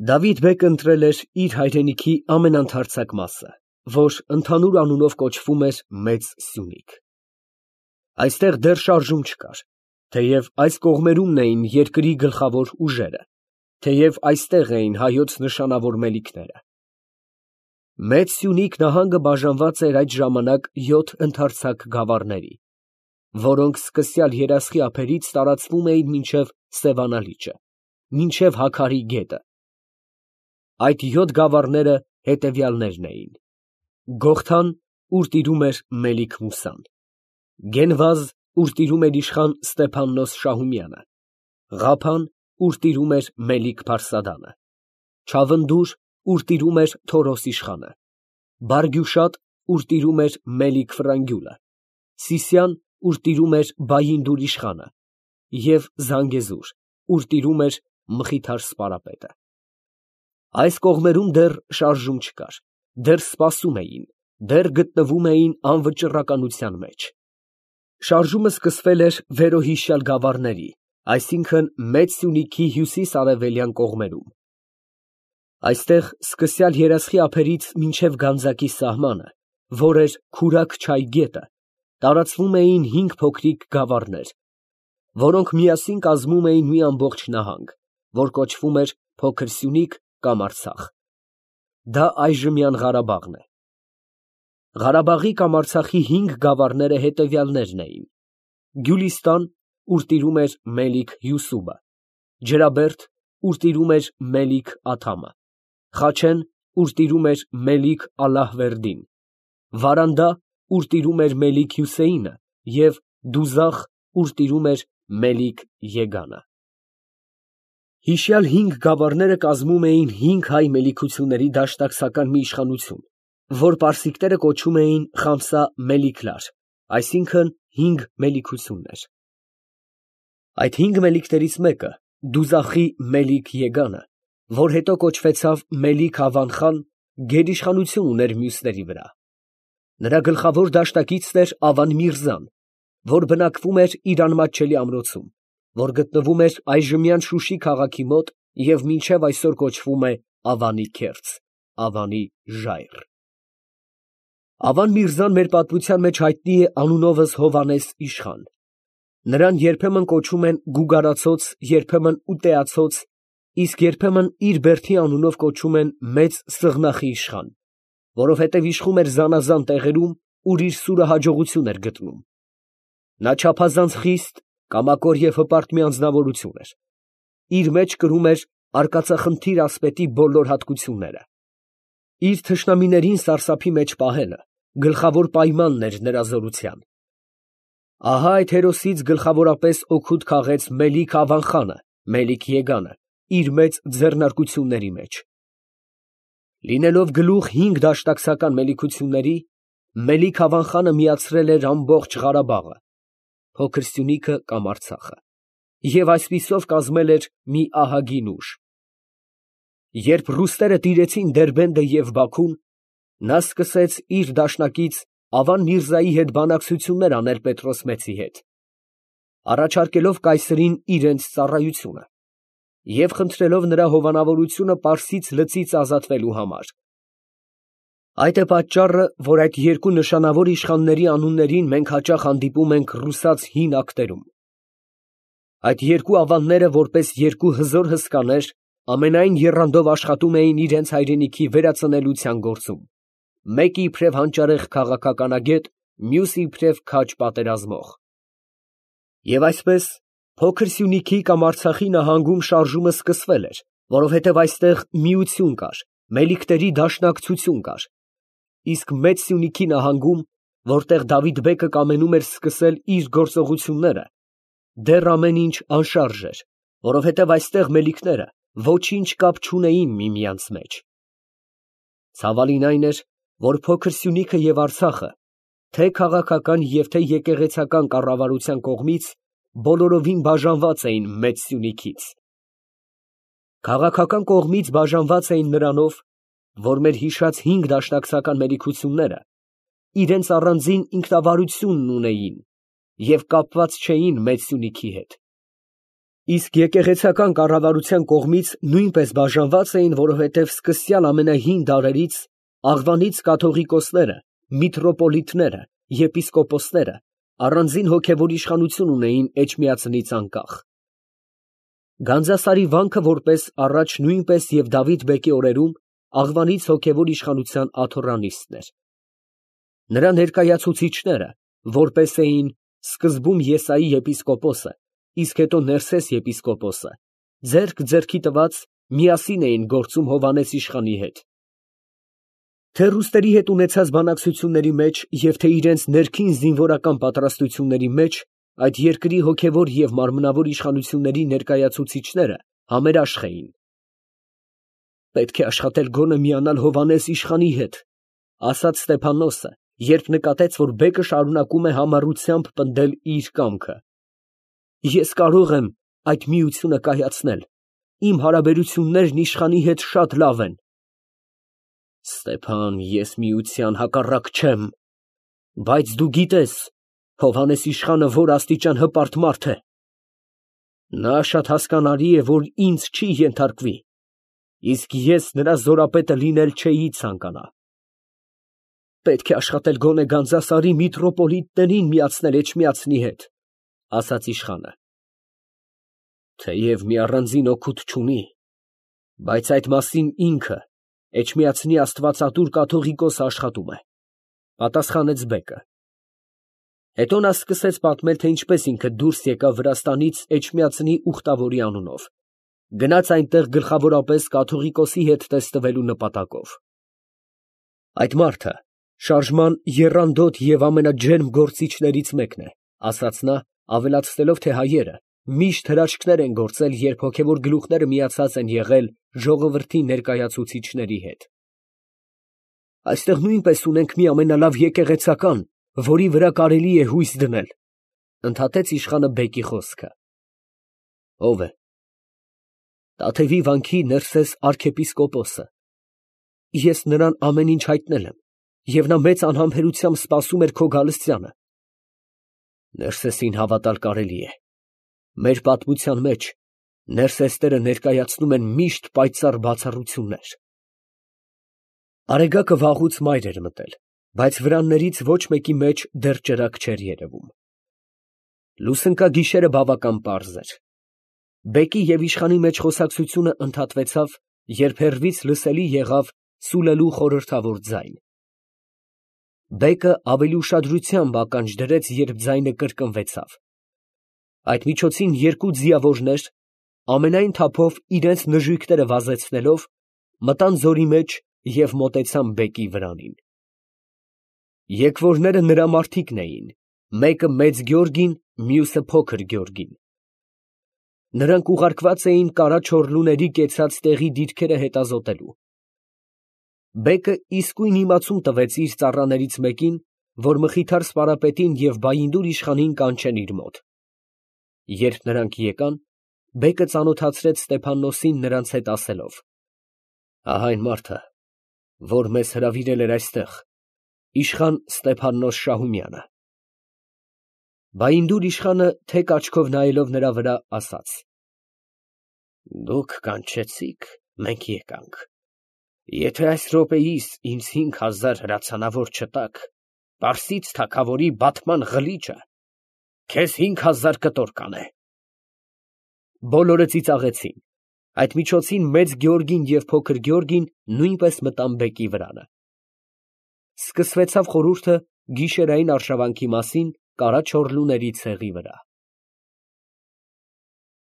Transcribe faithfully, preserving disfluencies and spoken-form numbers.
Դավիթ֊բեկը ընտրել էր իր հայրենիքի ամենաընդարձակ մասը, որ ընդհանուր անունով կոչվում էր Մեծ Սյունիք։ Այստեղ դեռ շարժում չկար, թեև այս կողմերումն էին երկրի գլխավոր ուժերը, թեև այստեղ էին հայոց նշանավոր մելիքները։ Մեծ Սյունիք նահանգը բաժանված էր այդ ժամանակ յոթ ընդարձակ գավառների, որոնք սկսյալ Երասխի ափերից տարածվում էին մինչև Սևանա լիճը, մինչև Հաքարի գետը։ Այդ յոթ գավառները հետևյալներն էին. Գողթան, ուր տիրում էր Մելիք-Մուսան, Գենվազ, ուր տիրում էր իշխան Ստեփաննոս Շահումյանը, Ղափան, ուր տիրում էր Մելիք-Փարսադանը, Չավնդուր, ուր տիրում էր Թորոս իշխանը, Բարգյուշատ, ուր տիրում էր Մելիք֊Ֆրանգյուլը, Սիսյան, ուր տիրում էր Բայինդուր իշխանը և Զանգեզուր, ուր տիրում էր Մխիթար սպարապետը։ Այս կողմերում դեռ շարժում չկար, դեռ սպասում էին, դեռ գտնվում էին անվճռականության մեջ։ Շարժումը սկսվել էր վերոհիշյալ գավառների, այսինքն Մեծ Սյունիքի հյուսիս֊արևելյան կողմերում։ Այստեղ սկսյալ Երասխի ափերից մինչև Գանձակի սահմանը, որ էր Քուրաքչայ գետը, տարածվում էին հինգ փոքրիկ գավառներ, որոնք միասին կազմում էին մի ամբողջ նահանգ, որ կոչվում էր Փոքր Սյունիք կամ Արցախ։ Դա այժմյան Ղարաբաղն է։ Ղարաբաղի կամ Արցախի հինգ գավառները հետևյալներն էին. Գյուլիստան, ուր տիրում էր Մելիք Յուսուբը, Ջրաբերդ, ուր տիրում էր Մելիք Աթամը, Խաչեն, ուր տիրում էր Մելիք Ալլահվերդին, Վարանդա, ուր տիրում էր Մելիք Հյուսեյնը և Դուզախ, ուր տիրում էր Մելիք Եգանը։ Հիշյալ հինգ գավառները կազմում էին հինգ հայ մելիքությունների դաշնակցական մի իշխանություն, որ պարսիկները կոչում էին Խամսա Մելիքլար, այսինքն հինգ մելիքություններ։ Այդ հինգ մելիքներից մեկը, Դուզախի Մելիք Եգանը, որ հետո կոչվեցավ Մելիք Ավան խան, գերիշխանություն ուներ մյուսների վրա։ Նրա գլխավոր դաշնակիցն էր Ավան Միրզան, որ բնակվում էր իր անմատչելի ամրոցում, որ գտնվում էր այժմյան Շուշի քաղաքի մոտ և մինչև այսօր կոչվում է Ավանի քերձ, Ավանի ժայռ։ Ավան Միրզան մեր պատմության մեջ հայտնի է անունովս Հովհաննես իշխան։ Նրան երբեմն կոչում են Գուգարացոց, երբեմն Ուտեացոց, իսկ երբեմն իր բերդի անունով կոչում են Մեծ Սղնախի իշխան, որովհետև իշխում էր զանազան տեղերում, ուր իր սուրը հաջողություն էր գտնում։ Նա չափազանց խիստ, կամակոր և հպարտ մի անձնավորություն էր։ Իր մեջ կրում էր արկածախնդիր ասպետի բոլոր հատկությունները։ Իր թշնամիներին սարսափի մեջ պահելը գլխավոր պայմանն էր նրա զորության։ Ահա այդ հերոսից գլխավորապես օգուտ քաղեց Մելիք Ավան խանը, Մելիք Եգանը, իր մեծ ձեռնարկությունների մեջ։ Լինելով գլուխ հինգ դաշնակցական մելիքությունների, Մելիք Ավան խանը միացրել էր ամբողջ Ղարաբաղը, Փոքր Սյունիքը կամ Արցախը, և այսպիսով կազմել էր մի ահագին ուժ։ Երբ ռուսները տիրեցին Դերբենդը և Բաքուն, նա սկսեց իր դաշնակից Ավան Միրզայի հետ բանակցություններ անել Պետրոս Մեծի հետ, առաջարկելով կայսրին իրենց ծառայությունը և խնդրելով նրա հովանավորությունը Պարսից լծից ազատվելու համար։ Այդ է պատճառը, որ այդ երկու նշանավոր իշխանների անուններին մենք հաճախ հանդիպում ենք ռուսաց հին ակտերում։ Այդ երկու ավանները, որպես երկու հզոր հսկաներ, ամենայն եռանդով աշխատում էին իրենց հայրենիքի վերածնելության գործում, մեկը իբրև հանճարեղ քաղաքականագետ, մյուսը իբրև քաջ պատերազմող։ Եվ այսպես, Փոքր Սյունիքի կամ Արցախի նահանգում շարժումը սկսվել էր, որովհետև այստեղ միություն կար, մելիքների դաշնակցություն կար, իսկ Մեծ Սյունիքի նահանգում, որտեղ Դավիթ֊բեկը կամենում էր սկսել իր գործողությունները, դեռ ամեն ինչ անշարժ էր, որովհետև այստեղ մելիքները ոչինչ կապ չունեին միմյանց մեջ։ Ցավալին այն էր, որ Փոքր Սյունիքը և Արցախը թե քաղաքական և թե եկեղեցական կառավարության կողմից բոլորովին բաժանված էին Մեծ Սյունիքից։ Քաղաքական կողմից բաժանված էին նրանով, որ մեր հիշած հինգ դաշնակցական մելիքությունները իրենց առանձին ինքնավարությունն ունեին և կապված չէին Մեծ Սյունիքի հետ։ Իսկ եկեղեցական կառավարության կողմից նույնպես բաժանված էին, որովհետև սկսյալ ամենահին դարերից աղվանից կաթողիկոսները, միտրոպոլիտները, եպիսկոպոսները առանձին հոգևոր իշխանություն ունեին Էջմիածնից անկախ։ Գանձասարի վանքը որպես առաջ նույնպես և Դավիթ բեկի օրերում աղվանից հոգևոր իշխանության աթոռանիստն էր։ Նրա ներկայացուցիչները, որպես էին սկզբում Եսայի եպիսկոպոսը, իսկ հետո Ներսես եպիսկոպոսը, ձեռք ձեռքի տված միասին էին գործում Հովհաննես իշխանի հետ։ Թե ռուսների հետ ունեցած բանակցությունների մեջ և թե իրենց ներքին զինվորական պատրաստությունների մեջ այդ երկրի հոգևոր և մարմնավոր իշխանությունների ներկայացուցիչները համերաշխ էին։ «Պետք է աշխատել գոնե միանալ Հովհաննես իշխանի հետ», ֊ ասաց Ստեփաննոսը, երբ նկատեց, որ բեկը շարունակում է համառությամբ պնդել իր կամքը։ «Ես կարող եմ այդ միությունը կայացնել, իմ հարաբերություններն իշխանի հետ շատ լավ են»։ «Ստեփան, ես միության հակառակ չեմ, բայց դու գիտես Հովհաննես իշխանը որ աստիճան հպարտ մարդ է. նա շատ հասկանալի է, որ ինձ չի ենթարկվի, իսկ ես նրա զորապետը լինել չէի ցանկանա։ Պետք է աշխատել գոնե Գանձասարի միտրոպոլիտներին միացնել Էջմիածնի հետ», ֊ ասաց իշխանը։ «Թեև մի առանձին օգուտ չունի, բայց այդ մասին ինքը Էջմիածնի աստվածատուր կաթողիկոսը աշխատում է», ֊ պատասխանեց բեկը։ Հետո նա սկսեց պատմել, թե ինչպես ինքը դուրս եկավ Վրաստանից Էջմիածնի ուխտավորի անունով, գնաց այնտեղ գլխավորապես կաթողիկոսի հետ տեսնվելու նպատակով։ «Այդ մարդը շարժման եռանդոտ և ամենաջերմ գործիչներից մեկն է», ֊ ասաց նա, ավելացնելով, թե հայերը միշտ հրաշքներ են գործել, երբ հոգևոր գլուխները միացած են եղել ժողովրդի ներկայացուցիչների հետ։ «Այստեղ նույնպես ունենք մի ամենալավ եկեղեցական, որի վրա կարելի է հույս դնել», ֊ ընդհատեց իշխանը բեկի խոսքը։ «Ո՞վ է»։ «Տաթևի վանքի Ներսես արքեպիսկոպոսը։ Ես նրան ամեն ինչ հայտնել եմ, և նա մեծ անհամբերությամբ սպասում էր քո գալստյանը»։ «Ներսեսին հավատալ կարելի է։ Մեր պատմության մեջ Ներսեսները ներկայացնում են միշտ պայծառ բացառություններ»։ Արեգակը վաղուց մայր էր մտել, բայց վրաններից ոչ մեկի մեջ դեռ ճրագ չէր երևում։ Լուսնկագիշերը բավական պարզ էր։ Բեկի և իշխանի մեջ խոսակցությունը ընդհատվեցավ, երբ հեռվից լսելի եղավ սուլելու խորհրդավոր ձայն։ Բեկը ավելի ուշադրությամբ ականջ դրեց, երբ ձայնը կրկնվեցավ։ Այդ միջոցին երկու ձիավորներ, ամենայն թափով իրենց նժույգները վազեցնելով, մտան ձորի մեջ և մոտեցան բեկի վրանին։ Եկվորները նրա մարդիկն էին, մեկը մեծ գորգին, մյուսը փոքր գորգին։ Նրանք ուղարկված էին կարա չորլուների կեցած տեղի դիրքերը հետազոտելու։ Բեկը իսկույն իմացում տվեց իր ծառաներից մեկին, որ Մխիթար սպարապետին և Բայնդուր իշխանին կանչեն իր մոտ։ Երբ նրանք եկան, բեկը ծանոթացրեց Ստեփաննոսին նրանց հետ, ասելով. «Ահա այն մարդը, որ մեզ հրավիրել էր այստեղ, իշխան Ստեփաննոս Շահումյանը»։ Բայնդուր իշխանը թեք աչքով նայելով նրա վրա, ասաց. «Դուք կանչեցիք, մենք եկանք։ Եթե այս րոպեիս ինձ հինգ հազար հրացանավոր չտաք, պարսից թագավորի բատման ղլիճը քեզ հինգ հազար կտոր կանե»։ Բոլորը ծիծաղեցին։ Այդ միջոցին մեծ գորգին և փոքր գորգին նույնպես մտան բեկի վրանը։ Սկսվեցավ խորհուրդը գիշերային արշավանքի մասին կարա չորլուների ցեղի վրա։